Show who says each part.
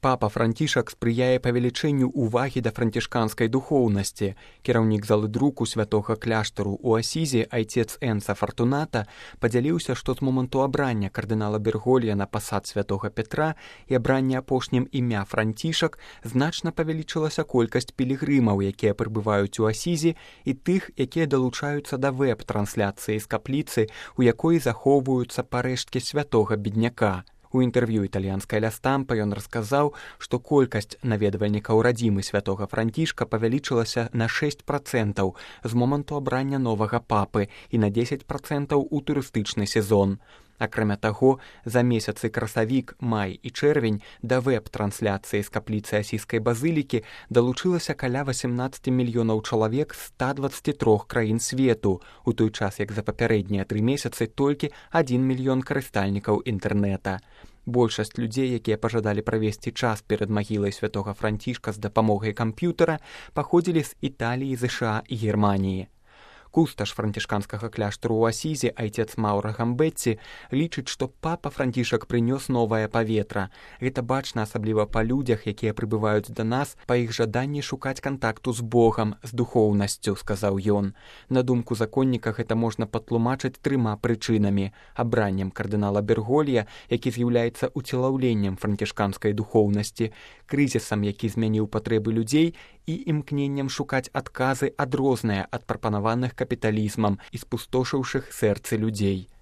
Speaker 1: Папа Францішак спрыяе павелічэнню ўвагі да францішканскай духоўнасці. Кіраўнік залы друку святога кляштару ў Асізе айцец Энца Фартуната падзяліўся, што з моманту абрання кардынала Берголья на пасад святога Петра і абрання апошнім імя Францішак значна павялічылася колькасць пілігрымаў, якія прыбываюць у Асізе, і тых, якія далучаюцца да вэб-трансляцыі з капліцы, у якой захоўваюцца парэшткі святога бедняка. У інтэрв'ю італьянскай ля Стампа ён расказаў, што колькасць наведвальнікаў радзімы святога Францішка павялічылася на 6% з моманту абрання новага папы і на 10% у турыстычны сезон. Акрамя таго, за месяцы красавік, май і чэрвень да вэб-трансляцыі з капліцы Асійскай базылікі далучылася каля 18 мільёнаў чалавек з 123 краін свету, у той час як за папярэднія 3 месяцы толькі 1 мільён карыстальнікаў інтэрнэта. Большасць людзей, якія пажадалі правесці час перад магілай святога Францішка з дапамогай камп'ютара, паходзілі з Італіі, ЗША і Германіі. Кусташ францішканскага кляштару ў Асізе айцец Маўра Гамбетці лічыць, што папа Францішак прынёс новае паветра. Гэта бачна асабліва па людзях, якія прыбываюць да нас па іх жаданні шукаць кантакту з Богам, з духоўнасцю, сказаў ён. На думку законніка, гэта можна патлумачыць 3 прычынамі: абраннем кардынала Берголья, які з'яўляецца уцелаўленнем францішканскай духоўнасці, крызісам, які змяніў патрэбы людзей, і імкненнем шукаць адказы адрозныя ад прапанаваных капіталізмам і спустошыўшых сэрцы людзей.